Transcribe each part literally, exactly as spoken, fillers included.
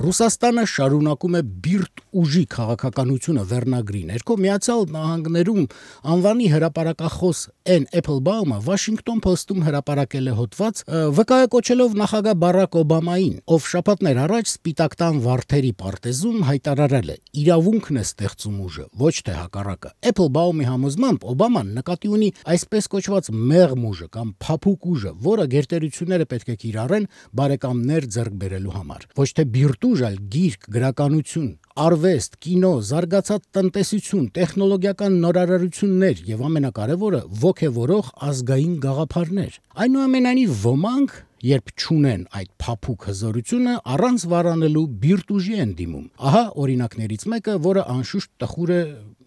Ռուսաստանը շարունակում է բիրտ ուժի քաղաքականությունը վերնագրի ներքո Միացյալ Նահանգներում անվանի հրապարակախոս Էն Էփլբաումը Վաշինգտոն Փոստում հրապարակել է հոդված, վկայակոչելով նախագահ Բարակ Օբամային, ով շաբաթներ առաջ Սպիտակ տան վարդերի պարտեզում հայտարարել է. իրավունքն է ստեղծում ուժը, ոչ թե հակառակը։ Էփլբաումի համոզմամբ Օբաման նկատի ունի այսպես կոչված մեղմ ուժը կամ փափուկ ուժը, որը գերտերությունները պետք է կիրառեն բարեկամներ ձեռք բերելու համար։ Ոչ թե բիրտ ուժ, այլ գիրք, գրականություն, արվեստ, կինո, զարգացած տնտեսություն, տեխնոլոգիական նորարարություններ եւ ամենակարևորը ոգեվորող ազգային գաղափարներ։ Այնուամենայնիվ ոմանք, երբ չունեն այդ փափուկ հզորությունը, առանց վարանելու բիրտ ուժի են դիմում։ Ահա օրինակներից մեկը, որը անշուշտ տխուր է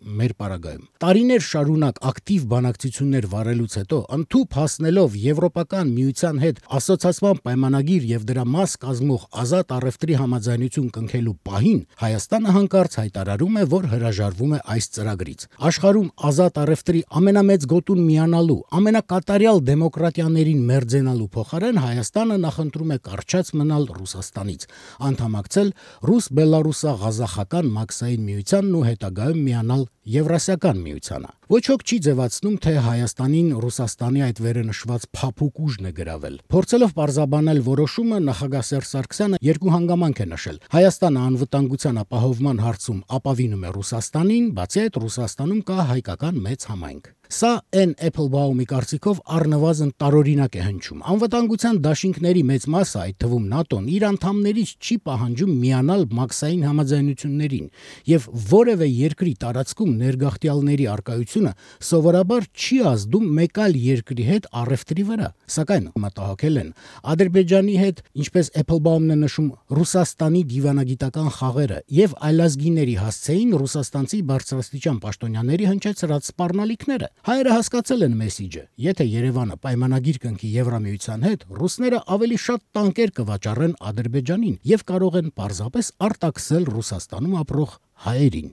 մեր պարագայում։ Տարիներ շարունակ ակտիվ բանակցություններ վարելուց հետո, ընդཐུպ հասնելով Եվրոպական միության հետ ասոցիացիան պայմանագիր եւ դրա մաս կազմող ազատ առևտրի համաձայնություն կնքելու պահին, Հայաստանը հանկարծ հայտարարում է, որ հրաժարվում է այս ծրագրից։ Աշխարհում ազատ առևտրի ամենամեծ գոտուն միանալու, ամենակատարյալ դեմոկրատիաներին մերձենալու փոխարեն Հայաստանը նախընտրում է կարճած մնալ Ռուսաստանից, անդամակցել ռուս-բելարուսա-ղազախական մաքսային միությանն ու հետագայում միանալ Եվրասիական միությանը։ Ոչ ոք չի ձևացնում, թե Հայաստանին Ռուսաստանի այդ վերենշված փափուկ ուժն է գրավել։ Փորձելով պարզաբանել որոշումը, նախագահ Սերժ Սարգսյանը երկու հանգամանք է նշել։ Հայաստանը անվտանգության ապահովման հարցում ապավինում է Ռուսաստանին, բացի այդ Ռուսաստանում կա հայկական մեծ համայնք։ Սա Էն Էփլբաումի կարծիքով առնվազն տարօրինակ է հնչում։ Անվտանգության դաշինքների մեծ մասը, այդ թվում ՆԱՏՕ-ն, իր անդամներից չի պահանջում միանալ մաքսային համաձայնություններին, եւ որևէ երկրի տարածքում ներգաղթյալների արկայությունը սովորաբար չի ազդում մեկ այլ երկրի հետ առևտրի վրա։ Սակայն մտահոգել են Ադրբեջանի հետ, ինչպես Էփլբաումն է նշում, Ռուսաստանի դիվանագիտական խաղերը եւ այլազգիների հասցեին ռուսաստանցի բարձրաստիճան պաշտոնյաների հնչեցրած սպառնալիքները։ Հայերը հասկացել են մեսիջը. եթե Երևանը պայմանագիր կնքի Եվրամիության հետ, ռուսները ավելի շատ տանկեր կվաճառեն Ադրբեջանին եւ կարող են պարզապես արտաքսել Ռուսաստանում ապրող հայերին։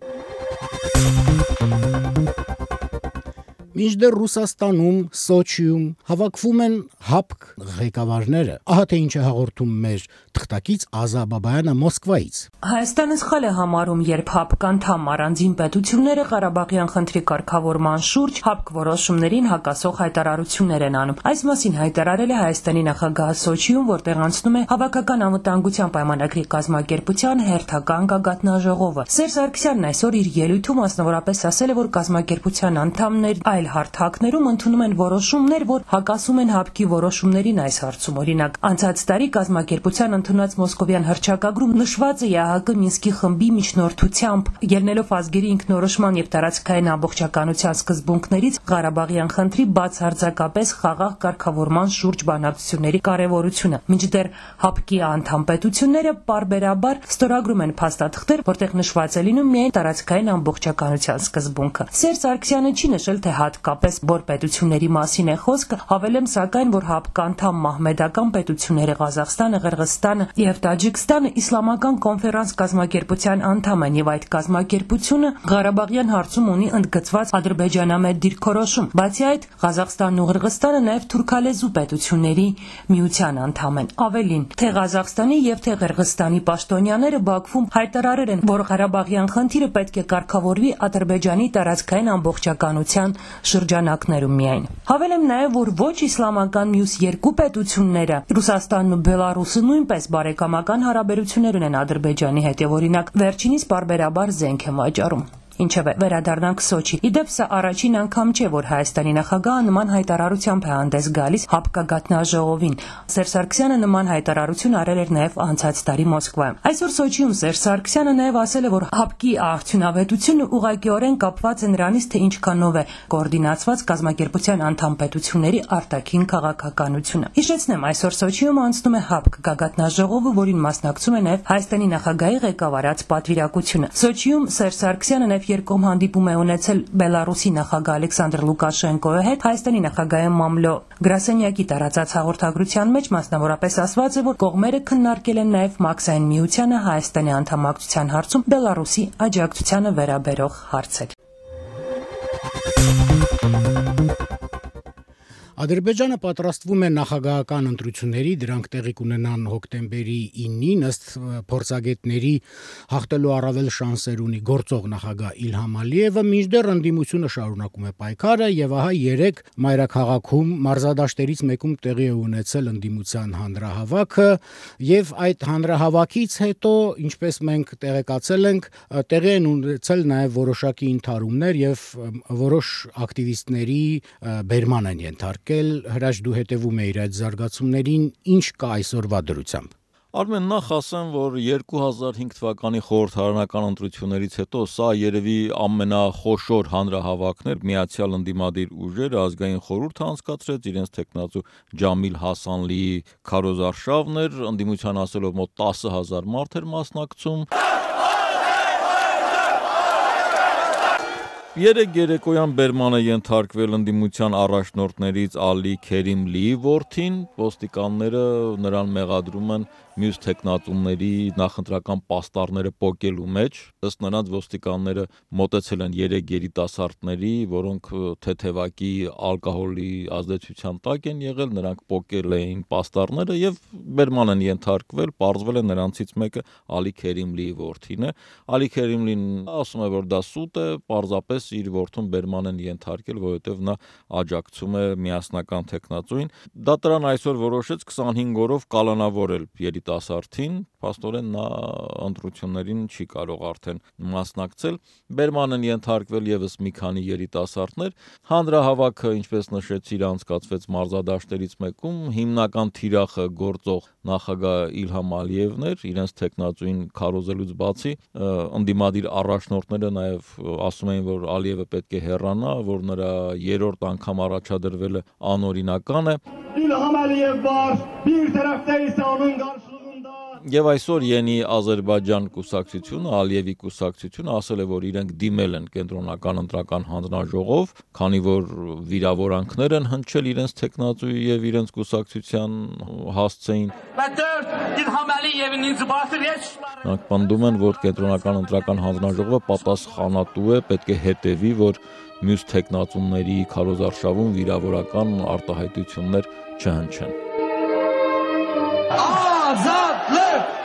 Մինչդեռ Ռուսաստանում, Սոչիում հավաքվում են ՀԱՊԿ ղեկավարները, ահա թե ինչ է հաղորդում մեր թղթակից Ազա Բաբայանը Մոսկվայից։ Հայաստանը սխալ է համարում, երբ ՀԱՊԿ անդամ առանձին պետությունները Ղարաբաղյան խնդրի կարգավորման շուրջ ՀԱՊԿ որոշումներին հակասող հայտարարություններ են անում։ Այս մասին հայտարարել է Հայաստանի նախագահը Սոչիում, որտեղ անցնում է Հավաքական անվտանգության պայմանագրի կազմակերպության հերթական գագաթնաժողովը։ Սերժ Սարգսյանն այսօր իր ելույթում մասնավորապես ասել է, որ կազմակերպության անդամներ այլ հարթակներում ընդունում են որոշումներ, որ հակասում են ՀԱՊԿ-ի որոշումներին այս հարցում։ Օրինակ, անցած տարի կազմակերպության ընդունած Մոսկովյան հռչակագրում նշված է ԵԱՀԿ Մինսկի խմբի միջնորդությամբ, ելնելով ազգերի ինքնորոշման եւ տարածքային ամբողջականության սկզբունքներից Ղարաբաղյան խնդրի բացարձակապես խաղաղ կարգավորման շուրջ բանակցությունների կարեւորությունը։ Մինչդեռ ՀԱՊԿ-ի անդամ պետությունները պարբերաբար ստորագրում են փաստաթղթեր, որտեղ նշված է լինում միայն տարածքային ամբողջականության սկզբունքը։ Սերժ Սարգսյանը չի նշել, թե հատկապես որ պետությունների մասին է խոսքը, հավելեմ սակայն, որ ՀԱՊԿ անդամ մահմեդական պետությունները Ղազախստանը, Ղրղստանը եւ Տաջիկստանը իսլամական կոնֆերանս կազմակերպության անդամ են եւ այդ կազմակերպությունը Ղարաբաղյան հարցում ունի ընդգծված ադրբեջանամետ դիրքորոշում։ Բացի այդ, Ղազախստանն ու Ղրղստանը նաեւ թուրքալեզու պետությունների միության անդամ են։ Ավելին, թե Ղազախստանի եւ թե Ղրղստանի պաշտոնյաները Բաքվում հայտարարել են, որ Ղարաբաղյան խնդիրը պետք է կարգավորվի Ադրբեջանի տարածքային ամբողջականության շրջանակներում միայն։ Հավելեմ նաև, որ ոչ իսլամական մյուս երկու պետությունները, Ռուսաստանն ու Բելարուսը, նույնպես բարեկամական հարաբերություններ ունեն Ադրբեջանի հետ եւ օրինակ վերջինիս պարբերաբար զենք են վաճառում։ Ինչևէ, վերադառնանք Սոչի։ Իդեպ սա առաջին անգամ չէ, որ Հայաստանի նախագահը նման հայտարարությամբ է հանդես գալիս ՀԱՊԿ գագաթնաժողովին։ Սերժ Սարգսյանը նման հայտարարություն արել էր նաև անցած տարի Մոսկվայում։ Այսօր Սոչիում Սերժ Սարգսյանը նաև ասել է, որ ՀԱՊԿ-ի արդյունավետությունը ուղղակիորեն կապված է նրանից, թե ինչքանով է կոորդինացված կազմակերպության անդամ պետությունների արտաքին քաղաքականությունը։ Հիշեցնեմ, այսօր Սոչիում անցնում է ՀԱՊԿ գագաթնաժողովը, որին մասնակցում է նաև Հայաստանի նախագահի ղեկավարած պատվիրակությունը։ Սոչիում Սերժ Սարգսյանը նաև երկկողմ հանդիպում է ունեցել Բելարուսի նախագահ Ալեքսանդր Լուկաշենկոյի հետ։ Հայաստանի նախագահի Մամլո Գրասենյակի տարածած հաղորդագրության մեջ մասնավորապես ասված է, որ կողմերը քննարկել են նաև մաքսային միությանը Հայաստանի անդամակցության հարցում Բելարուսի աջակցությանը վերաբերող հարցեր։ Ադրբեջանը պատրաստվում է նախագահական ընտրությունների, դրանք տեղի կունենան հոկտեմբերի ինին, ըստ փորձագետների հաղթելու առավել շանսեր ունի գործող նախագահ Իլհամ Ալիևը, մինչդեռ ընդդիմությունը շարունակում է պայքարը եւ ահա երեք մայրաքաղաքում մարզադաշտերից մեկում տեղի է ունեցել ընդդիմության հանրահավաքը եւ այդ հանրահավաքից հետո, ինչպես մենք տեղեկացել ենք, տեղի են ունեցել նաեւ որոշակի ընդհարումներ եւ որոշ ակտիվիստների բերման են ենթարկել, Հրաչ դու հետևում ես այդ զարգացումներին, ինչ կա այսօրվա դրությամբ։ Արմեն, նախ ասեմ, որ երկու հազար հինգ թվականի խորհրդարանական ընտրություններից հետո սա երևի ամենախոշոր հանրահավաքն էր, Միացյալ ընդդիմադիր ուժերը ազգային խորհուրդը անցկացրեց, իրենց թեկնածու Ջամիլ Հասանլիի քարոզարշավն էր, ընդդիմության ասելով մոտ տասը հազար մարդ էր մասնակցում։ Երեք երեկոյան բերման է ենթարկվել ընդդիմության առաջնորդներից Ալի Քերիմլիի որդին, ոստիկանները նրան մեղադրում են մյուս թեկնածուների նախընտրական պաստառները պոկելու մեջ, ըստ նրանց ոստիկանները մոտեցել են երեք երիտասարդների, որոնք թեթևակի ալկոհոլի ազդեցության տակ են եղել, նրանք պոկել էին պաստառները եւ բերման են ենթարկվել, պարզվել է նրանցից մեկը Ալի Քերիմլիի որդին է։ Ալի Քերիմլին ասում է, որ դա սուտ է, պարզապես իր որդուն բերման են ենթարկել, որովհետև նա աջակցում է միասնական թեկնածուին։ Դատարան այսօր որոշեց քսանհինգ օրով կալանավորել երիտասարդին, փաստորեն նա ընտրություններին չի կարող արդեն մասնակցել։ Բերման են ենթարկվել եւս մի քանի երիտասարդներ։ Հանրահավաքը, ինչպես նշեցիր, անցկացվեց մարզադաշտերից մեկում, հիմնական թիրախը գործող նախագահ Իլհամ Ալիևն էր, իրենց թեկնածուին քարոզելուց բացի ընդդիմադիր առաջնորդները նաեւ ասում էին, որ Ալիևը պետք է հեռանա, որ նրա երրորդ անգամ առաջադրվելը անօրինական է։ İlham Aliyev var, bir tarafta ise onun karşılığında Եվ այսօր Յենի Ադրբեջան կուսակցությունը, Ալիևի կուսակցությունը ասել է, որ իրենք դիմել են կենտրոնական ընտրական հանձնաժողով, քանի որ վիրավորանքներ են հնչել իրենց թեկնածուի եւ իրենց կուսակցության հասցեին։ Նրանք պնդում են, որ կենտրոնական ընտրական հանձնաժողովը պատասխանատու է, պետք է հետևի, որ մյուս թեկնածուների քարոզարշավում վիրավորական արտահայտություններ չհնչեն։ Azadlık!